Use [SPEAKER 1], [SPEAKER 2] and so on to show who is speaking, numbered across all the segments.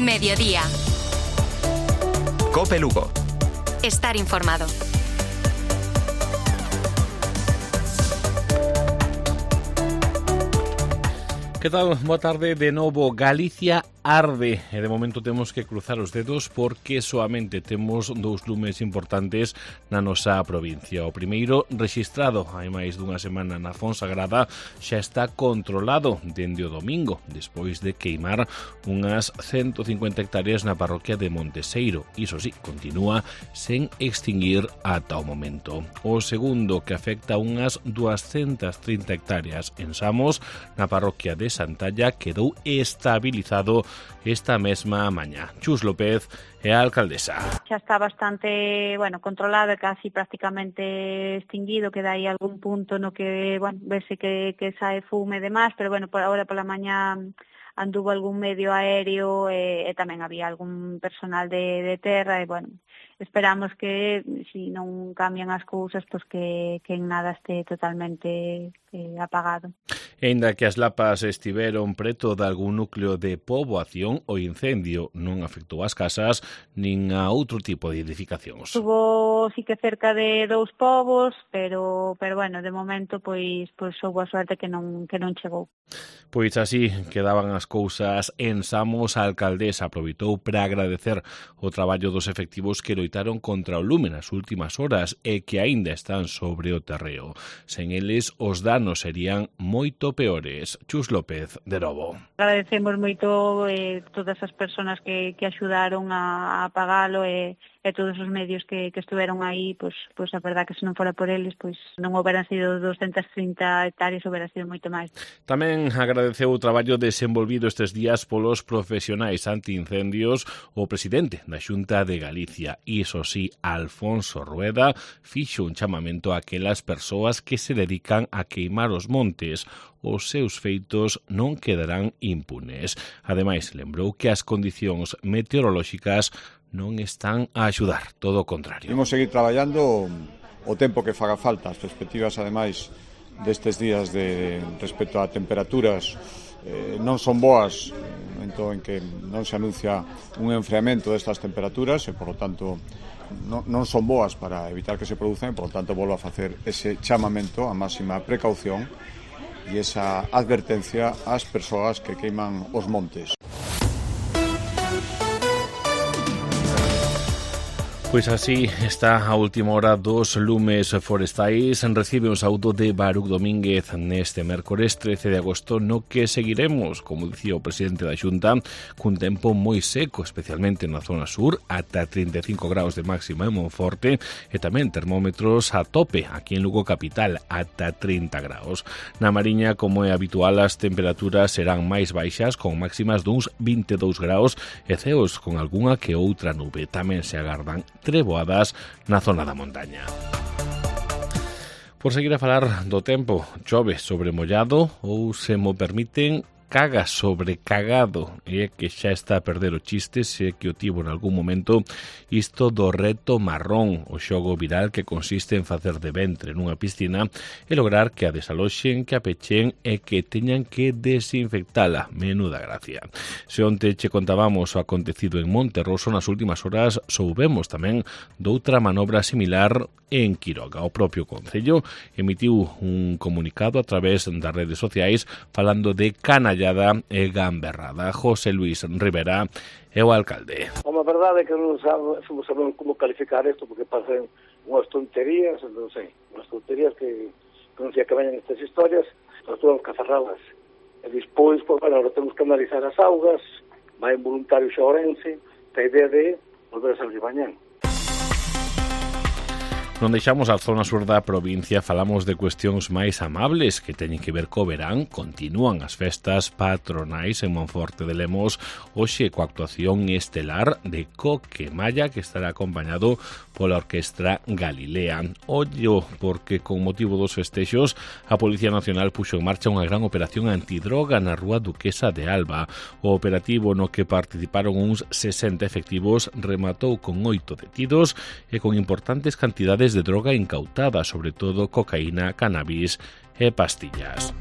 [SPEAKER 1] Mediodía.
[SPEAKER 2] COPE Lugo.
[SPEAKER 1] Estar informado.
[SPEAKER 3] Que tal? Boa tarde de novo. Galicia arde e de momento temos que cruzar os dedos porque soamente temos dous lumes importantes na nosa provincia. O primeiro, rexistrado hai máis dunha semana na Fonsagrada, xa está controlado dende o domingo, despois de queimar unhas 150 hectáreas na parroquia de Monteseiro. Iso sí, continúa sen extinguir ata o momento. O segundo, que afecta unhas 230 hectáreas en Samos, na parroquia de Santalla, quedou estabilizado esta mesma mañá. Chus López é a alcaldesa.
[SPEAKER 4] Xa está bastante, controlado e casi prácticamente extinguido, queda aí algún punto no que, verse que sae fume e demás, pero por ahora pola mañá anduvo algún medio aéreo e tamén había algún personal de terra e, esperamos que, se non cambian as cousas, que en nada este totalmente apagado.
[SPEAKER 3] E aínda que as lapas estiveron preto de algún núcleo de poboación, o incendio non afectou as casas nin a outro tipo de edificacións.
[SPEAKER 4] Estuvo sí que cerca de 2 povos, pero de momento pois houbo a suerte que non chegou.
[SPEAKER 3] Pois así quedaban as cousas en Samos. A alcaldesa aproveitou para agradecer o traballo dos efectivos que loitaron contra o lume nas últimas horas e que aínda están sobre o terreo. Sen eles, os danos serían moito peores. Chus López, de novo.
[SPEAKER 4] Agradecemos moito todas as persoas que axudaron a apagalo e todos os medios que estiveron aí, pois a verdad que se non fora por eles, pois non houberan sido 230 hectáreas, houberan sido moito máis.
[SPEAKER 3] Tamén agradeceu o traballo desenvolvido estes días polos profesionais antiincendios o presidente da Xunta de Galicia. Iso sí, Alfonso Rueda fixo un chamamento a aquelas persoas que se dedican a queimar os montes. Os seus feitos non quedarán impunes. Ademais, lembrou que as condicións meteorolóxicas non están a axudar, todo o contrario.
[SPEAKER 5] Imos seguir traballando o tempo que faga falta. As perspectivas, ademais, destes días respecto a temperaturas non son boas, en que non se anuncia un enfriamento destas temperaturas e, por lo tanto, non son boas para evitar que se produzan e, por lo tanto, volvo a facer ese chamamento a máxima precaución e esa advertencia ás persoas que queiman os montes.
[SPEAKER 3] Pois así está a última hora dos lumes forestais. Recibe un saúdo de Baruch Domínguez neste mércores 13 de agosto, no que seguiremos, como dicía o presidente da Xunta, cun tempo moi seco, especialmente na zona sur, ata 35 graus de máxima en Monforte, e tamén termómetros a tope aquí en Lugo capital, ata 30 graus. Na Mariña, como é habitual, as temperaturas serán máis baixas, con máximas duns 22 graus e ceos con algunha que outra nube. Tamén se agardan treboadas na zona da montaña. Por seguir a falar do tempo, chove sobre mollado ou, se mo permiten, caga sobre cagado, e que xa está a perder o chiste, se que o tivo en algún momento, isto do reto marrón, o xogo viral que consiste en facer de ventre nunha piscina e lograr que a desaloxen, que a pechen e que teñan que desinfectala. Menuda gracia. Se onte che contábamos o acontecido en Monterroso, nas últimas horas soubemos tamén doutra manobra similar en Quiroga. O propio Concello emitiu un comunicado a través das redes sociais falando de canallada e gamberrada. José Luis Rivera é o alcalde.
[SPEAKER 6] A verdade é que non sabemos como calificar isto, porque pasan unhas tonterías, unhas tonterías que non sei que veñan estas historias, nós temos que aferralas. E despois, ahora temos que analizar as augas, vai un voluntario xa Ourense, a idea de volver a salir mañán.
[SPEAKER 3] Non deixamos a zona sur da provincia, falamos de cuestións máis amables que teñen que ver co verán. Continúan as festas patronais en Monforte de Lemos, hoxe coa actuación estelar de Coque Malla, que estará acompañado pola Orquestra Galilea. Ollo, porque con motivo dos festexos, a Policía Nacional puxo en marcha unha gran operación antidroga na Rúa Duquesa de Alba. O operativo, no que participaron uns 60 efectivos, rematou con 8 detidos e con importantes cantidades de droga incautada, sobre todo cocaína, cannabis e pastillas.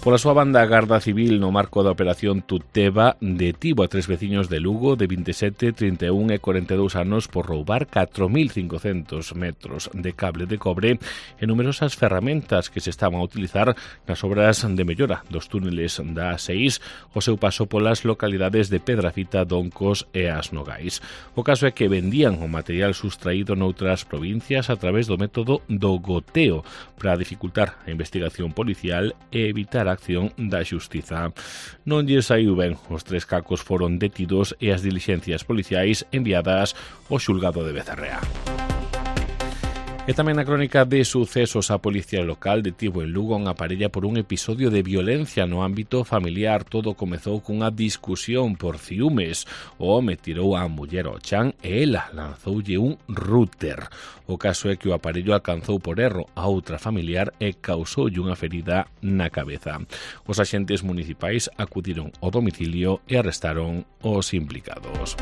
[SPEAKER 3] Pola súa banda, a Garda Civil, no marco da Operación Tuteva, detivo a 3 veciños de Lugo de 27, 31 e 42 anos por roubar 4.500 metros de cable de cobre e numerosas ferramentas que se estaban a utilizar nas obras de mellora dos túneles da A6 o seu paso polas localidades de Pedrafita, Doncos e As Nogais. O caso é que vendían o material sustraído noutras provincias a través do método do goteo para dificultar a investigación policial e evitar a acción da xustiza. Non lle saiu ben, os 3 cacos foron detidos e as dilixencias policiais enviadas ao xulgado de Becerrea. E tamén na crónica de sucesos, a Policía Local detivo en Lugo unha parella por un episodio de violencia no ámbito familiar. Todo comezou cunha discusión por ciúmes. O home tirou a muller ao chan e ela lanzoulle un router. O caso é que o aparello alcanzou por erro a outra familiar e causoulle unha ferida na cabeza. Os axentes municipais acudiron ao domicilio e arrestaron os implicados.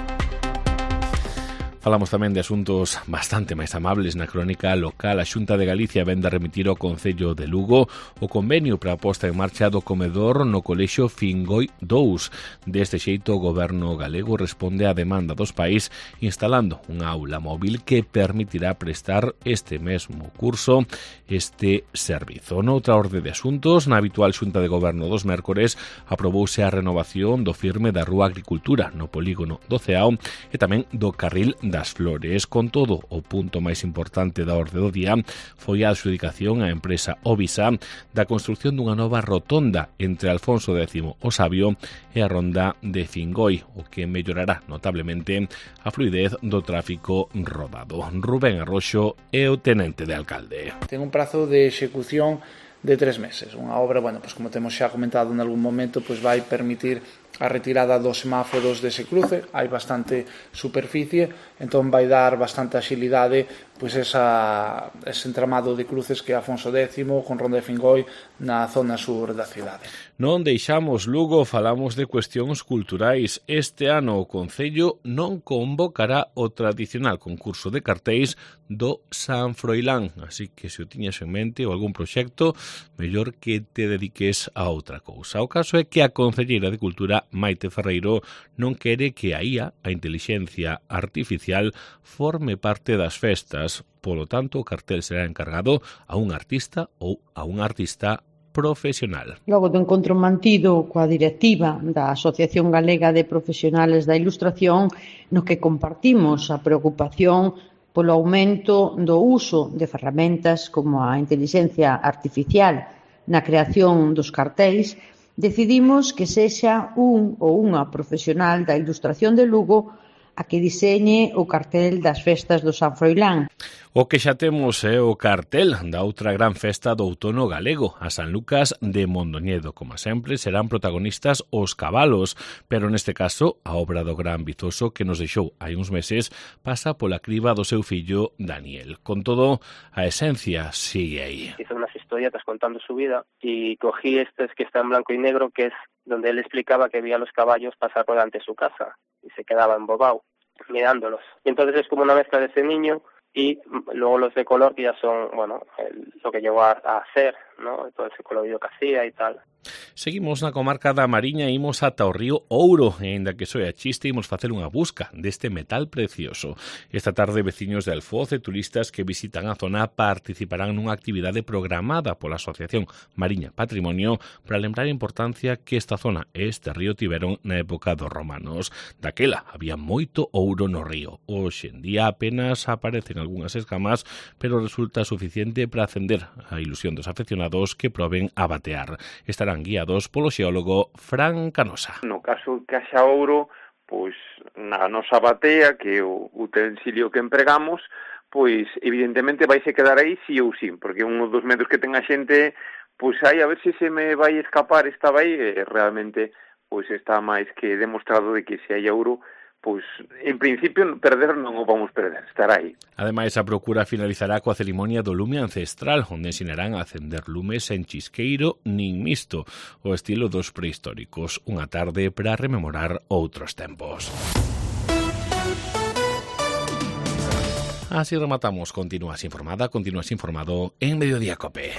[SPEAKER 3] Falamos tamén de asuntos bastante máis amables na crónica local. A Xunta de Galicia vende a remitir ao Concello de Lugo o convenio para a posta en marcha do comedor no Colexio Fingoi 2. Deste xeito, o goberno galego responde á demanda dos pais instalando unha aula móvil que permitirá prestar este mesmo curso este servizo. Noutra orde de asuntos, na habitual Xunta de Goberno dos mércores, aprobouse a renovación do firme da Rúa Agricultura no polígono do Ceao e tamén do Carril das Flores. Con todo, o punto máis importante da orde do día foi a adxudicación á empresa Ovisa da construción dunha nova rotonda entre Alfonso X o Sabio e a ronda de Fingoi, o que mellorará notablemente a fluidez do tráfico rodado. Rubén Arroxo é o tenente de alcalde.
[SPEAKER 2] Ten un prazo de execución de 3 meses. Unha obra, pues como temos xa comentado en algún momento, pues vai permitir a retirada dos semáforos dese cruce. Hai bastante superficie, entón vai dar bastante axilidade pues ese entramado de cruces que é Afonso X con Ronda de Fingoi na zona sur da cidade.
[SPEAKER 3] Non deixamos Lugo, falamos de cuestións culturais. Este ano o Concello non convocará o tradicional concurso de cartéis do San Froilán, así que se o tiñas en mente ou algún proxecto, mellor que te dediques a outra cousa. O caso é que a concelleira de Cultura, Maite Ferreiro, non quere que a IA, a intelixencia artificial, forme parte das festas. Polo tanto, o cartel será encargado a un artista ou a un artista profesional.
[SPEAKER 7] Logo do encontro mantido coa directiva da Asociación Galega de Profesionales da Ilustración, no que compartimos a preocupación polo aumento do uso de ferramentas como a intelixencia artificial na creación dos cartéis, decidimos que sexa un ou unha profesional da ilustración de Lugo a que diseñe o cartel das festas do San Froilán.
[SPEAKER 3] O que xa temos é o cartel da outra gran festa do outono galego, a San Lucas de Mondoñedo. Como sempre, serán protagonistas os cabalos, pero neste caso, a obra do gran Vizoso que nos deixou hai uns meses pasa pola criba do seu fillo Daniel. Con todo, a esencia sigue aí.
[SPEAKER 8] Hizo unas historietas contando su vida y cogí estes que está en blanco y negro, que es donde él explicaba que veía los caballos pasar por delante de su casa y se quedaba embobado mirándolos. Y entonces es como una mezcla de ese niño y luego los de color que ya son, lo que llegó a hacer, ¿no? Todo ese colorido que hacía y tal.
[SPEAKER 3] Seguimos na comarca da Mariña e imos ata o río Ouro, e aínda que soe a chiste, imos facer unha busca deste metal precioso. Esta tarde, veciños de Alfoz e turistas que visitan a zona participarán nunha actividade programada pola Asociación Mariña Patrimonio para lembrar a importancia que esta zona e este río tiveron na época dos romanos. Daquela había moito ouro no río. Hoxe en día apenas aparecen algunhas escamas, pero resulta suficiente para acender a ilusión dos afeccionados que proben a batear. Estarán guiados polo xeólogo Fran Canosa.
[SPEAKER 9] No caso que haxa ouro, pois na nosa batea, que é o utensilio que empregamos, pois evidentemente vaise quedar aí sí ou sí, porque un dos medos que ten a xente, pois aí a ver se me vai escapar esta vai, realmente pois está máis que demostrado de que se hai ouro, pois, en principio, perder non o vamos perder, estará aí.
[SPEAKER 3] Ademais, a procura finalizará coa cerimonia do lume ancestral, onde ensinarán a acender lumes en chisqueiro nin misto, o estilo dos prehistóricos. Unha tarde para rememorar outros tempos. Así rematamos. Continúas informado en Mediodía Cope.